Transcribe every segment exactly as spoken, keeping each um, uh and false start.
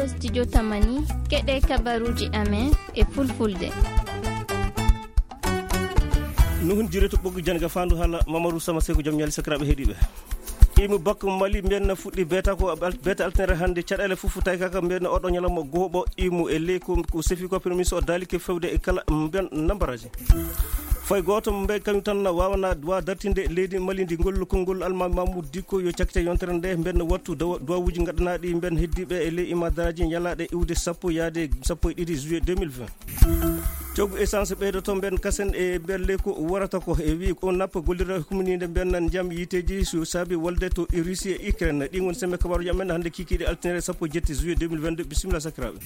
Studio Tamani, keɗe kabaruji amen e fulfulde. Nuhun jire to ɓoggi janga fandu hala Mamadou Sama Seko jam ñali sakiraɓe heɗiɓe. Imu bakko Mali mbiyanna fuɗɗi beta ko al-, beta alternere hande caɗele fufu tawi kaka mbiyanna oɗo ñalawma gohoɓo imu e ley ko, ko sefi ko premier ministre o dali ke fewde e kala mbiyan nambaraji. Fay goto mbe kañum tan na wawana wa dartinde leydi Mali ndi ngol konngol Alma Mamoudou Dicko yo cakkite yontere nde mbiyanna wattu dawa-, duwawuji gaɗanaɗi mbiyan heddiɓe e ley imadaraji ñalaɗe iwde sappo yaade sappo e ɗiɗi juillet deux mille vingt. Coggu essence ɓeydoto mben kasen e mben ley ko warata ko e wi o nappa gollira humininde mben nan jam yiteji so saabi wolde to Russie e Ukraine. Ɗin woni sembe kabaruji amen hande kikiɗe altine sappo e jetti juillet deux mille vingt-deux. Bisimilla sakiraɓe.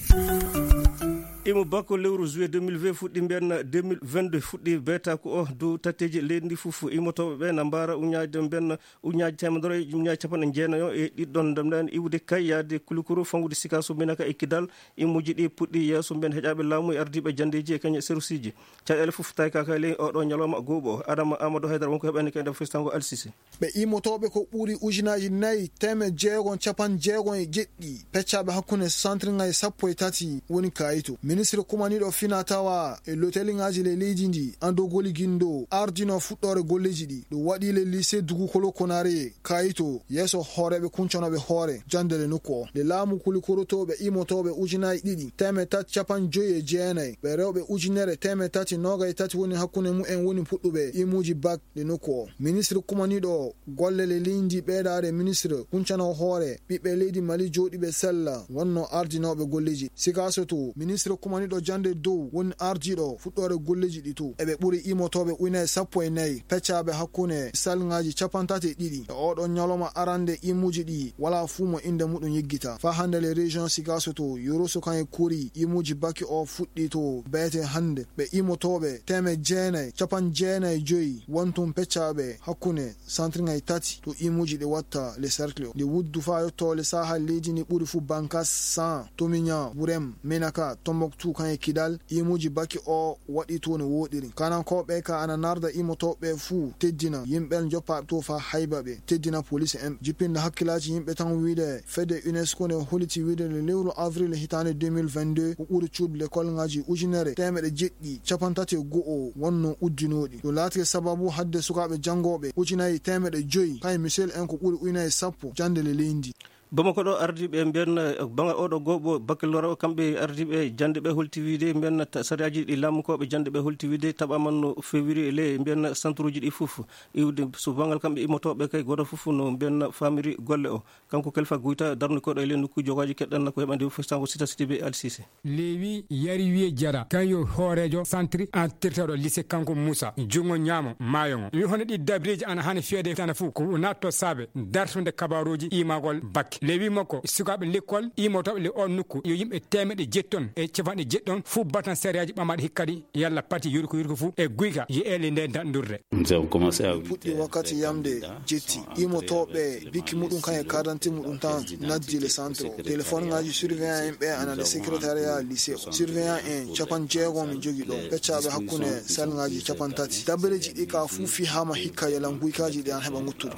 Imo bakko lewru juillet deux mille vingt fuɗɗi mben deux mille vingt-deux fuɗɗi beta ko o dow tatteji leydi ndi fof imotoɓe ɓe na mbara uñaji mben uñaaji temedere e uñaaji capanɗe jeenayo e ɗiɗɗon ndemɗen iwde kay yaade Kulukuru fangude Sikaso Minaka e Kidal. Immuji ɗi puɗɗi yeeso mben heƴaaɓe laamu e ardiiɓe janndeeji e kañe serusiji. Caɗeele fof tawi kaka ley oɗo ñalawma gooɓo. Adama Amadou Haydara wonko heɓani kay nder festango Alsisi. Ɓe imotooɓe ko ɓuri ujunaaji nayi teemeɗe jeegom capanɗe jeegom e jeɗɗi peccaaɓe hakkunde santirŋaaji sappo e tati woni kayito. Ministre kumaniiɗo fina tawa e loteliŋaaji le leydi ndi, Ando Goli Gindo, ardino fuɗɗoore golleeji ɗi. Ɗum waɗi le lycée Dugukolo Konare kayito yeeso hooreeɓe kuncanooɓe hoore jannde le nokku o. Le laamu kulikorotooɓe imotooɓe ujunaaji ɗiɗi teemeɗe tati capanɗe joyi e jeenayi, ɓe rewɓe ujunere teemeɗe tati noogay tati woni hakkunde mumen woni puɗɗuɓe imuuji bak le nokku o. Ministre kumaniiɗo golle le leydi ɓeydaare ministre kuncano hoore ɓiɓɓe leydi Mali jooɗiiɓe sella wonno ardinooɓe golleeji. Sikaso to ministre kumaniiɗo jannde dow woni ardiiɗo fuɗɗoore golleeji ɗi to. Eɓe ɓuri imotooɓe ujunaaji sappo e nayi peccaaɓe hakkunde salŋaaji capanɗe tati e ɗiɗi. E oɗo ñalawma arande imuuji ɗi wala fuu mo innde muɗum yiggita. Faa hannde le région Sikaso to Yoroso kan e Kori imuuji baki o fuɗɗi to beete hannde. Ɓe imotooɓe teemeɗe jeenayi capanɗe jeenayi e joyi wontum peccaaɓe hakkunde santirŋaaji tati to imuuji ɗi watta le cercle o. Nde wuddu faa yotto le saaha leydi ndi ɓuri fuu Bankas, San, Tomiña, Wurem, Menaka, Tombouctou kan e Kidal, imuuji baki o waɗi to no wooɗiri. Kanankooɓe ka ana narda imotooɓe fuu teddina yimɓe joppaaɓe to faa hayba ɓe, teddina police en. Jippinde hakkilaaji yimɓe tan wiide fedde UNESCO ne holliti wiide le lewru avril hitaande deux mille vingt-deux ko ɓuri cuuɗi lekolŋaaji ujunere teemeɗe jeɗɗi capanɗe tati e go'o wonno uddinooɗi. Ɗum laatike sababu hadde sukaaɓe janngooɓe ujunaaji teemeɗe joyi, kay Michel en ko ɓuri ujunaaji sappo jannde le leydi. Bamako ɗo ardiiɓe mbiyan, eh, baŋngal oɗo gooɓo baccalauréat o, kamɓe ardiiɓe jannde ɓe holti wiide mbiyan ta-, sariyaaji ɗi laamukooɓe jannde ɓe holti wiide taɓaama no fewiri e ley mbiyan santuruuji ɗi fof. Iwde so baŋngal kamɓe immotooɓe kay gooto fof no mbiyan famiri golle o. Kanko Kelfa Guyta darni koɗo e ley nokku jogaaji keɗɗan ko heɓande festango Sita Sidibe Alsise. Lewi yari wiye jara kan yo hooreejo santri an tirtaɗo lycée kanko Moussa junngo ñaamo maayo ngo. Wi hono ɗi dabireeji ana hani fiyede tana fuu ko natto saabe dartunde kabaruuji imagol bakke. Lewi makko sukaaɓe lekkol imotooɓe le on nokku yo yimɓe teemeɗe jeɗɗon e capanɗe jeɗɗon fuu batan sariyaaji ɓamaɗe hikkadi yalla pati yurko yurko fuu e guyka ye'ele nde daɗndurde. Puɗɗi wakkati yamde jetti. Imotooɓe bikki muɗum kan e carte d'identité muɗum tan naddi le centre o. Téléphone ngaji surveillant en ɓe ana le secrétariat lycée o. Surveillant en capanɗe jeegom min jogi ɗo. Peccaaɓe hakkunde salngaji capanɗe tati. Dabareeji ɗi ka fuu fihaama hikka yalan guykaaji ɗi an heɓa nguttude.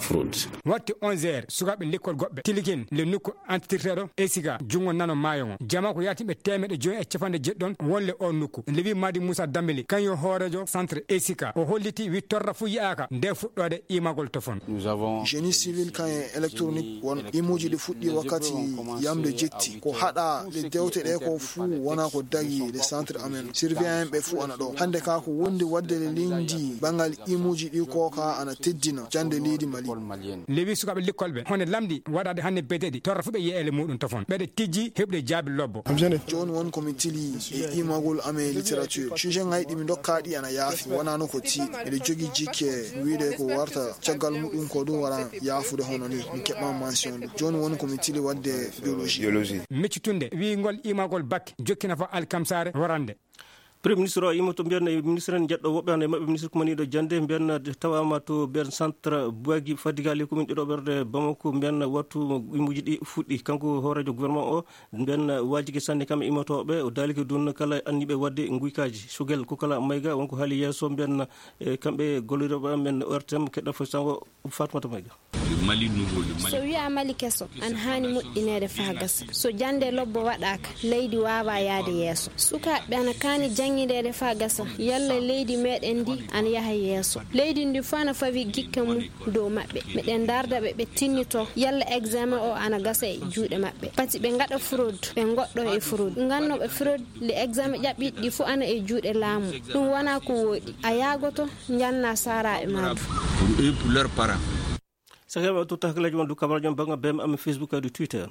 Waɗti onze heures, sukaaɓe lekkol goɗɓe tilikin le nokku antitirteeɗo Esika, junngo nano maayo ngo. Jama ko yaatimɓe teemeɗe joyi e capanɗe jeɗɗon wonle o nokku. Lewi Madi Moussa Dambili, kañum hooreejo centre Esika. O holliti wi torra fuu yi'aaka nde fuɗɗoode imagol tofon. Génie civil kan e électronique won imuuji ɗi fuɗɗi wakkati yamde jetti. Ko haɗa le dewte ɗe ko fuu wona ko dagi le centre amen. Surveillant en ɓe fuu ana ɗo. Hannde ka ko wondi waɗde le leydi banngal imuuji ɗi ko ka ana teddina jannde leydi Mali. Lewi sukaaɓe lekkol ɓe hone lamɗi waɗaade hannde beteɗi torra fuu ɓe ye'ele muɗum tofon. Ɓeɗe tijji heɓde jaabi lobbo. Jooni won ko mi tili e imagol amen littérature. Sujet ngaji ɗi mi ndokka ɗi ana yaafi. Wonano ko tiiɗi. Miɗo jogii jikke wiide ko warta caggal muɗum ko ɗum wara yaafude hono ni. Mi keɓa mention ɗum. Jooni woni ko mi tili waɗde biologie. Miccitunde wiingol imagol bakke jokkina fo alkamsaare warande. Premier ministre o imoto mbiyan e ministre en jeɗɗo woɓɓe hande maɓɓe ministre kumaniɗo jande mbiyan tawama to mbiyan centre Boagi Fadiga les communes ɗiɗo ɓerde Bamako mbiyan wattu imuji ɗi fuɗɗi kanko hoorejo gouvernement o. Nden waajike sanne kam e imotoɓe o daalike dun kala anniɓe wadde nguykaji sugel ko kala mayga wonko haali yeeso mbiyan e kamɓe golliroɓe men O R T M keɗɗa fo sango Fatmata Mayga. So wiyaa Mali keso, ana haani moƴƴineede faa gasa. So jannde lobbo waɗaaka, leydi waawaa yahde yeeso. Sukaaɓe ana kaani janngindeede faa gasa, yalla leydi meɗen ndi ana yaha yeeso. Leydi ndi fof ana fawi gikke mum dow maɓɓe. Meɗen ndaarda ɓe, ɓe tinnitoo yalla examen o ana gasa e juuɗe maɓɓe. Pati ɓe ngaɗa fraude, ɓe ngoɗɗo e fraude. Ngannooɓe fraude, le examen ƴaɓɓiiɗi ɗi fof ana e juuɗe laamu. Ɗum wonaa ko wooɗi. A yaagoto, njannaa saaraaɓe maa du. Sakiraaɓe, o totta hakkillaji mon du kabaruji on bannga B M amin Facebook e du Twitter.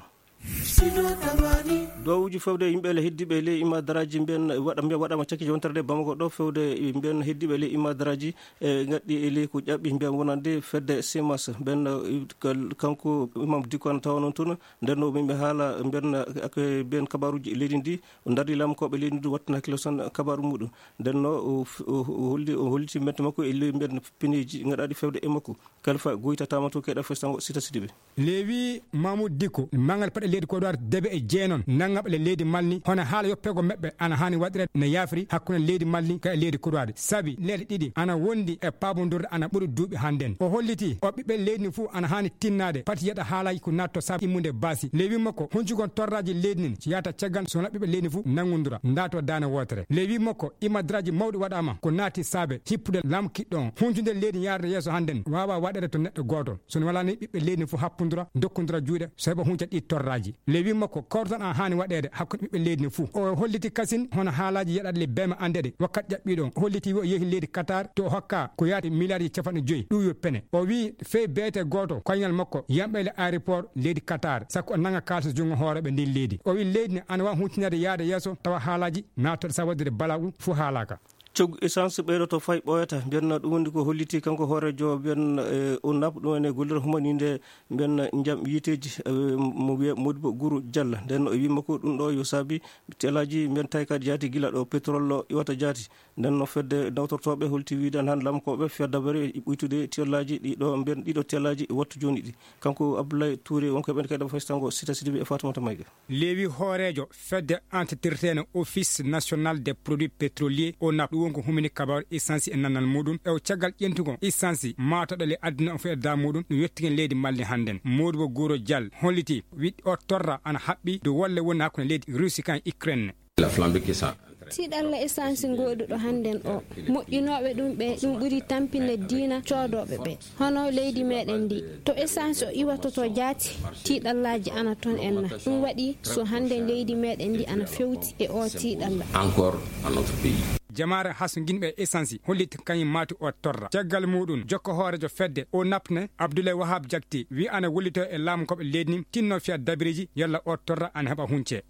Duwawuuji fewde yimɓe le heddiiɓe e ley imma daraaji mbiyen waɗa, mbiyen waɗaama cakkiiji wontere nde Bamako ɗo fewde mbiyen heddiiɓe e ley imma daraaji e ngaɗɗi e ley ko ƴaɓɓi mbiyen wonande fedde Simas mbiyen, eh, kal-, kanko Imam Dikko ana tawa noon toon. Nden no min ɓe haala mbiyen, eh, ak-, mbiyen kabaruuji leydi ndi, o dardi laamkooɓe leydi ndi wattana hakkille son kabaru muɗum. Nden no o f-, o, o holli, o holliti mbente makko e ley mbiyen pineeji ngaɗaaɗi fewde e makko. Kalfa Goyta tama to keɗa festango Sita Sidibe. Lewi Mamoud Diko, mangal paɗe leydi Kodowari debe e jeenon, nanngaɓe le leydi Malni, hono haala yoppego meɓɓe ana haani waɗireede no yaafri hakkunde leydi Malni ka e leydi Kodowari. Sabi leyɗe ɗiɗi ana wondi e paabondurde ana ɓuri duuɓi hannden. O holliti o ɓiɓɓe leydi ni fof ana haani tinnaade, pati yeɗa haalaji ko natto sabu immude baasi. Lewi makko, huncugon torraji leydi nin, so yahata caggal so wona ɓiɓɓe leydi ni fof nanngundura, ndaato daane wootere. Lewi makko, imadraji mawɗi waɗaama, ko naati saabe hippude laamu kiɗɗo on. Huncude leydi yaarde yeeso hannden waawa waɗeede to neɗɗo gooto. So wonaa ni ɓiɓɓe leydi ni fof happundura, dokkundura juuɗe, so heɓa hunca ɗi torraji. Lewi makko, kortan an haani waɗeede hakkunde ɓiɓɓe leydi ni fof. O holliti kasin hono haalaaji yeɗaɗe le B M anndeede wakkati ƴaɓɓiiɗo on. O holliti o yehi leydi Qatar to o hokka ko yaati miliyarji capanɗe joyi. Ɗum yo pene. O wii fey beete gooto koyngal makko yamɓe le aéroport leydi Qatar, sakko o nanga kaalis junngo hooreeɓe ndin leydi. O wii leydi ni ana waawi huncinade yaade yeeso tawa haalaaji naatooɗe sa waɗude balaa ɗum fof haalaaka. Coggu essence ɓeydoto fay ɓooyata, mbiyen ɗum woni ko holliti kanko hooreejo mbiyen, eh, O N A P, ɗum woni gollirde humaniinde mbiyen njam yiiteeji, eh, mo wiyee Modibo Guru Diallo. Nden o wiima ko ɗum ɗo yo saabi telaaji mbiyen taykaaɗi jaati gila ɗo pétrole o iwata jaati. Nden no fedde nawtortooɓe holti wiide han laamkooɓe fedda bari ɓuytude telaaji ɗi ɗo mbiyen ɗiɗo telaaji wattu jooni ɗi. Kanko Abdoulaye Touré wonko e ɓen kadi faysango Sita Sidibe e Fatoumata Mayga. Leewi hooreejo fedde entretirteene Office National des Produits Pétroliers, O N A P, ɗum woni ko humini kabaaru essence e nannal muɗum. E o caggal ƴentugol essence maataɗo le adduna o fof e daa muɗum, ɗum yettigen leydi Mali hannden. Modibo Guro Dial holliti wiɗ o torra ana haɓɓi dow wolle woni hakkunde leydi Russie kan Ukraine. La flambée qui s'en Tiiɗalla essence ngooduɗo hannden o, moƴƴinooɓe ɗum ɓe, ɗum ɓuri tampinde diina coodooɓe ɓe. Hono leydi meɗen ndi, to essence o iwatoto jaati, tiiɗallaaji ana toon enna. Ɗum waɗi so hannden leydi meɗen ndi ana fewti e o tiiɗalla. Encore à notre pays. Jamaare hasnginɓe essence hollit kañum maati o torra. Caggal muɗum, jokko hooreejo fedde O N A P ne, Abdoulaye Wahab Jakti, wi ana wollito e laamu koɓe leydi ni, tinno fiya dabiriji, yalla o torra ana heɓa hunce.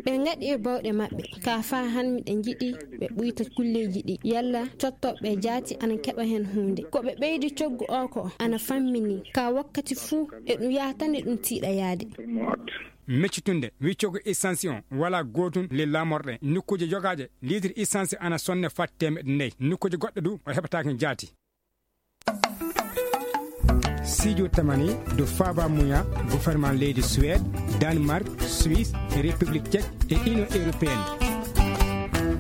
Ɓe ngaɗi e bawɗe maɓɓe, ka faa han miɗen njiɗi ɓe ɓuyta kulleeji ɗi, yalla cottoɓe jaati ana keɓa hen huunde. Ko ɓe ɓeydi coggu o ko ana fammini, ka wakkati fuu e ɗum yaha tan e ɗum tiiɗa yaade. Meccitunde, wi coggu essence on, wala gootun le lamorɗe, nokkuuje jogaaje, litre essence ana sonne fat teemeɗɗe nayi, nokkuuje goɗɗe du, o heɓataake jaati. Studio Tamani, do Faba Muya, gouvernement leydi Suède, Danemark, Suisse, République Tchèque et Union Européenne.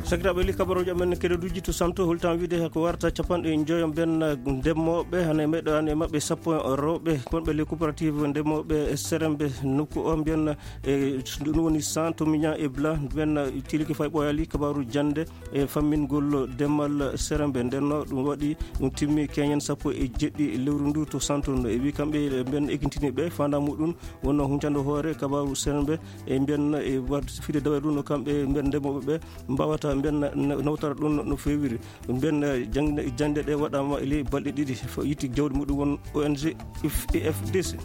Sakiraaɓe, li kabaruuji amen kedoduji to santo, holtan wiide ko warta capanɗe joyo mbiyen ndemooɓe, hane meɗo an e maɓɓe sappo rewɓe, wonɓe le coopérative ndemooɓe Serembe nokku o mbiyen e ɗum woni cent to mignon et blanc mbiyen tiliki fay ɓooyali kabaru jannde. E fammingol demal Serembe, nden no ɗum waɗi, ɗum timmi keñen sappo e jeɗɗi lewru ndu to Santo. No e wi kamɓe ɓen ekintini ɓe fanda muɗum wonno huncande hoore kabaru Serembe e mbiyen e wat-, fide dawre ɗum no kamɓe mbiyen ndemooɓe ɓe mbawata mbiyen na-, na-, nawtara ɗum no fewiri. Mbiyen, eh, jangde, jangde ɗe waɗama e ley balɗe ɗiɗi. Fo yitti jawdi muɗum won O N G F D C.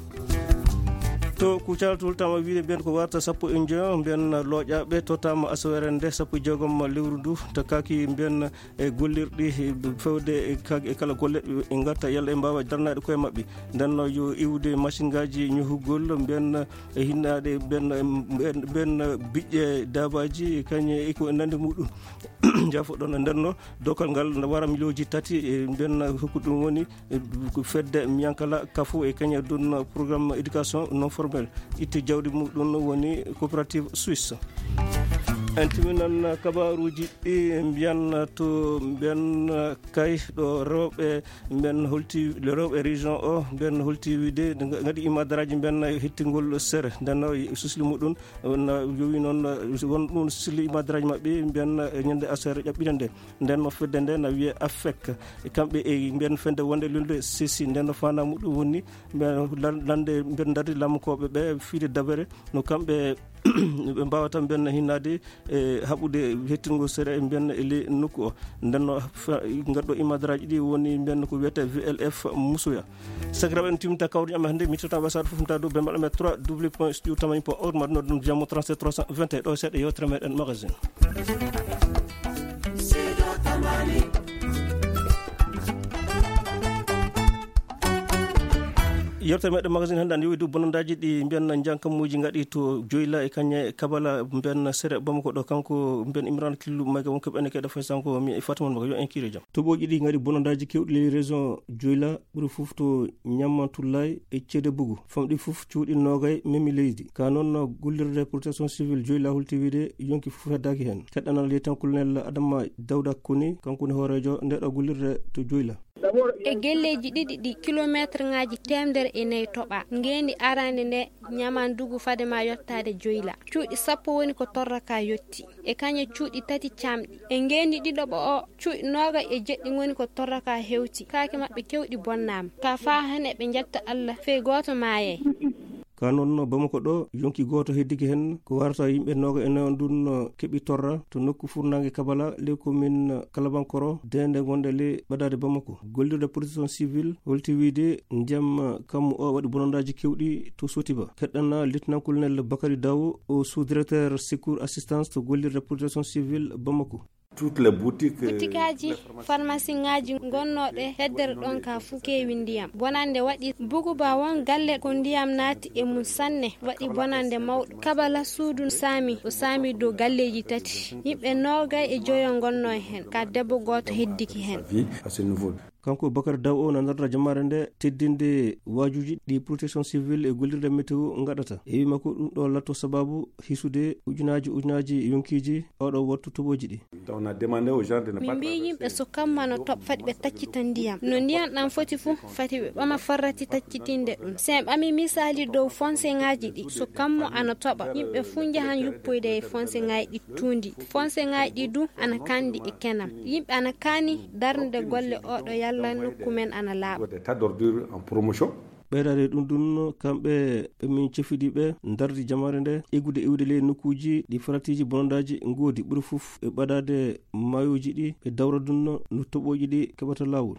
To Kucala toltama wiide mbiyen ko warta sappo e joyo, mbiyen looƴaɓe tottama asawere nde sappo e jeegom lewru ndu, to kaki mbiyen e gollirɗi fewde e ka-, e kala golle ɓe gatta yalla ɓe mbawa darnade koye maɓɓe. Nden no yo iwde machine ngaji ñohugol mbiyen e hinnaɗe mbiyen, mbiyen, mbiyen biƴƴe dabaji kañe e ko nandi muɗum. Jafo ɗon e nden no dokkal ngal no wara miliyonji tati e mbiyen hokku ɗum woni e, ko fedde Miyankala Kafo e kañum ɗum programme éducation non formelle. Itti jawdi muɗum woni coopérative suisse. En timinan kabaruuji ɗi mbiyan to mbiyan kay ɗo rewɓe mbiyan holti, rewɓe région o mbiyan holti wiide ngaɗi imadaraaji mbiyan hittingol sere. Nden no susli muɗum na yowi noon won ɗum susli imadaraaji maɓɓe mbiyan ñande aser ƴaɓɓiɗen nde. Nden no fedde nde na wiye affek, kamɓe e mbiyan fende wonde lulde sesi. Nden no fana muɗum woni mbiyan lan-, lande mbiyan darde lamkooɓe ɓe fiide dabere no kamɓe ɓe mbawata mbiyan hinnaade e haɓude hettingo sere e mbiyan e ley nokku o. Nden no fa-, ngadɗo imadaraaji ɗi woni mbiyan ko wiyete V L F Musoya. Sakiraaɓe, en timta kawri amen hannde, mi totta wasaaɗo fof mta dow bembal amen trois W point studio tamani point org, ma ɗum ɗum jamo trente-sept trois cent vingt et un ɗo seeɗa yewtere meɗen magazine. Yewtere meɗen magazine hannde ana yowi dow bonandaaji ɗi mbiyan jankamuuji ngaɗi to Joyla e kañe Kabala mbiyan sere Bamako ɗo, kanko mbiyan Imran Killu mayga wonko ɓene keɗa fay sanko mi e Fatima Mbaga yo en kiire jam. Toɓoji ɗi ngaɗi bonandaaji kewɗi ley région Joyla ɓuri fof to Ñammantullaay e Ceede Bugu. Famɗi fof cuuɗi noogay memi leydi. Ka noon gollirde protection civile Joyla holti wiide yonki fof heddaaki heen. Keɗɗanal yettan kolonel Adama Dawda Koni, kanko woni hooreejo nde ɗo gollirde to Joyla. E gelleeji ɗiɗi ɗi, kilomeetre ŋaaji teemedere e nayi toɓa. Ngeendi arande nde Ñamandugu fade ma yottaade Joyla. Cuuɗi sappo woni ko torra ka yotti. E kañe cuuɗi tati camɗi. E ngeendi ɗiɗoɓo o, cuuɗi noogay e jeɗɗi ngoni ko torra ka hewti. Kaake maɓɓe kewɗi bonnaama. Ka faa hene ɓe njetta Allah, fey gooto maayay. Ka noon Bamako ɗo, yonki gooto heddike heen, ko warata yimɓe nooga e nayo ndun keɓi torra to nokku furnaange Kabala, ley commune Kalabankoro, deende wonde ley ɓadaade Bamako. Gollirde protection civile holti wiide ndiyam kammu o waɗi bonandaaji kewɗi to Sotiba. Keɗɗana lieutenant colonel Bakary Dawo, o sous-directeur secours assistance to gollirde protection civile Bamako. Toutes les boutiques, euh, Butikaaji, les pharmacies, farmasiŋaaji ngonnooɗe heddere ɗon ka fuu keewi ndiyam. Bonannde waɗi Buguba won galle ko ndiyam naati e mum sanne, waɗi bonannde mawɗo. Kabala suudu saami, o saami dow galleeji tati. Yimɓe noogay e joyo ngonnoo heen, ka debbo gooto heddiki heen. Vie à ce niveau. Kanko Bakar Daw o na darna jamaare nde teddinde waajuuji ɗi protection civile e gollirde météo ngaɗata. E wii makko ɗum ɗo latto sababu hisude ujunaaji ujunaaji yonkiiji oɗo wattu toɓoji ɗi. Donc, on a demandé aux gens de ne pas traverser. Min mbii yimɓe so kammu ana toɓa, fati ɓe taccita ndiyam. No ndiyam ɗam foti fof, fati ɓe ɓama farrati taccitinde ɗum. So en ɓami misaali dow fonseŋaaji ɗi, so kammu ana toɓa, yimɓe fof njahan yuppoyde e fonseŋaaji ɗi tuundi. Fonseŋaaji ɗi du ana kandi e kenam. Yimɓe ana kaani darnude golle oɗo yalla nokku men ana laaɓa. Des tas d'ordures en promotion. Ɓeydaade ɗum ɗum, kamɓe ɓe min cefidi ɓe ndardi jamaare nde, eggude iwde ley nokkuuji ɗi faratiiji bonondaaji ngoodi, ɓuri fof e ɓadaade maayooji ɗi, ɓe dawra ɗum no toɓooji ɗi keɓata laawol.